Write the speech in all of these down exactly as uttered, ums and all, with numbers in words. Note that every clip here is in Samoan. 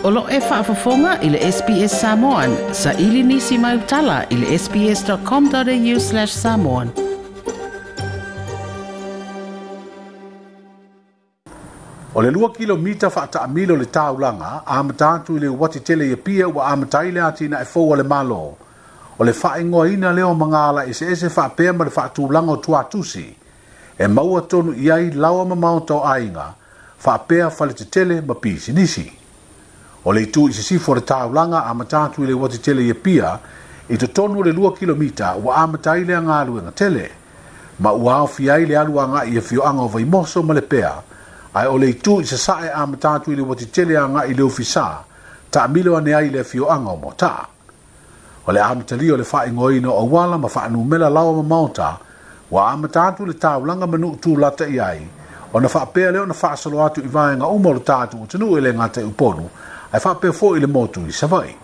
O lo e faafofoga i le S B S Samoan, sa ili nisi mai utala i le sbs.com.au slash samoan. O le lua kilomita faataamilo le taulaga, amata atu i le uati tele i Apia ua amata ai le atinae fou a le Malo. O le faaigoaina lea o magala eseese faapea ma le faatulaga o tuatusi. E maua tonu i ai lawa ma maota o aiga, faapea faletetele ma pisinisi. O le itu i sisifo o le taulaga amata atu i le uati tele i Apia, i totonu o le lua kilomita ua amata ai le galuega tele. Ma ua aofia ai le alu agai i afioaga o Vaimoso ma Lepea, ae o le itu i sasae amata atu i le uati tele agai i le ofisa, taamilo ane ai le afioaga o Motaa. O le amatalia o le faaigoaina o auala ma faanumela lawa ma maota, ua amata atu le taulaga ma nuu tulata i ai, ona faapea lea ona faasolo atu i vaega uma o le tatou atunuu e le gata i Upolu, ae faapea foi i le motu i Savaii.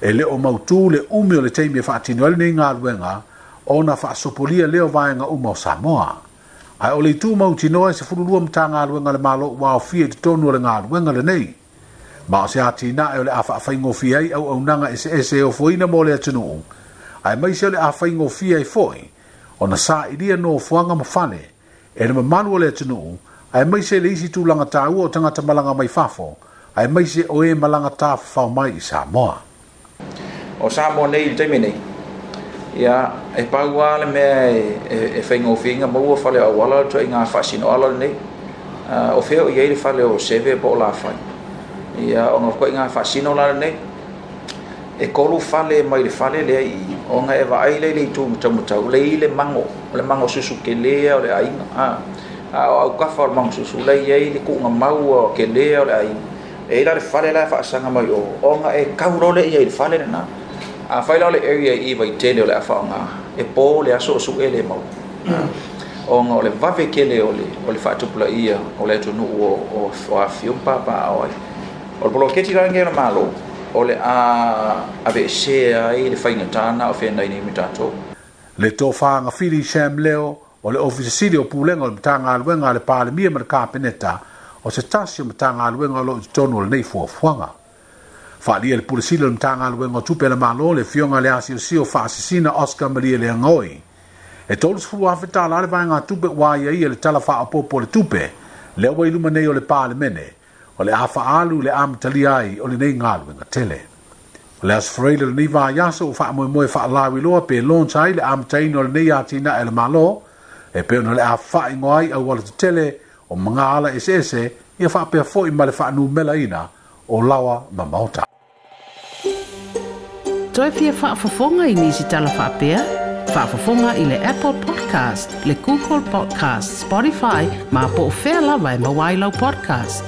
E le o mautū le umi o le taimi e faatino ai lenei galuega, ona faasopolia lea o vaega uma o Samoa. Ae o le itu mautinoa e sefululua Matagaluega a le Malo ua aofia i totonu o le galuega lenei. Ma o se atinae o le a faafaigofie ai auaunaga eseese e ofoina mo le atunuu, aemaise o le a faigofie ai foi ona sailia nofoaga ma fale e le mamalu o le atunuu, aemaise le isi tulaga taua o tagata malaga mai fafo, aemaise o e malaga tafafao mai i Samoa. O Samoa nei i le taimi nei, ia, e pau lava le mea e, e, e faigofieina maua fale o auala le ituaiga faasinoala lenei. Uh, o fea o i ai le fale o Seve po o Lafai. Ia, ona o ituaiga faasino la lenei, e tolu fale mai le fale lea i, ona e vaai lea i le itu mataumatau, le i le mango, o le mango susu kelea o le aiga. A, a o aukafa o le mango susu, le i ai le kuuga maua o kelea o le aiga. E i la le fale la e faasaga mai o, ona e kau loa lea i ai i le fale lena. A fai la o le area i Vaitele o le a faaaoga, e po le aso o su'e le mau. Ona o le vave tele o le, o le faatupulaia o le atunuu o, o, o afifio ma papaaao ai. O le poloketi la lenei o le Malo, o le a aveesea ai le faigata na o feagai nei ma tatou. Le tofaga Fili Sam Leo o le Ofisa Sili o Pulega o le Matagaluega a le Palemia ma le Kapeneta, o se tasi o Matagaluega o lo o i totonu o lenei fuafuaga. Faaalia le Pule Sili o le Matagaluega o Tupe a le Malo, le afioga i le asiosio faasisina Oscar Maria Leagaoi. E tolu afe tala le vaega tupe ua aiaia le tala faaopoopo o le tupe, lea ua i luma nei o le Palemene, o le a faaalu le amatalia ai o lenei galuega tele. O le Aso Faraile o lenei vaiaso ua faamoemoe faalauiloa pe launch ai le amataina o lenei atinae a le Malo, e pei ona o le a faaigoa ai auala tetele o magaala eseese, ia faapea foi ma le faanumelaina o lawa ma maota. Toe fia faafofoga i nisi tala faapea? Faafofoga i le Apple Podcast, le Google Podcast, Spotify, ma po o fea lava e maua ai lau podcast.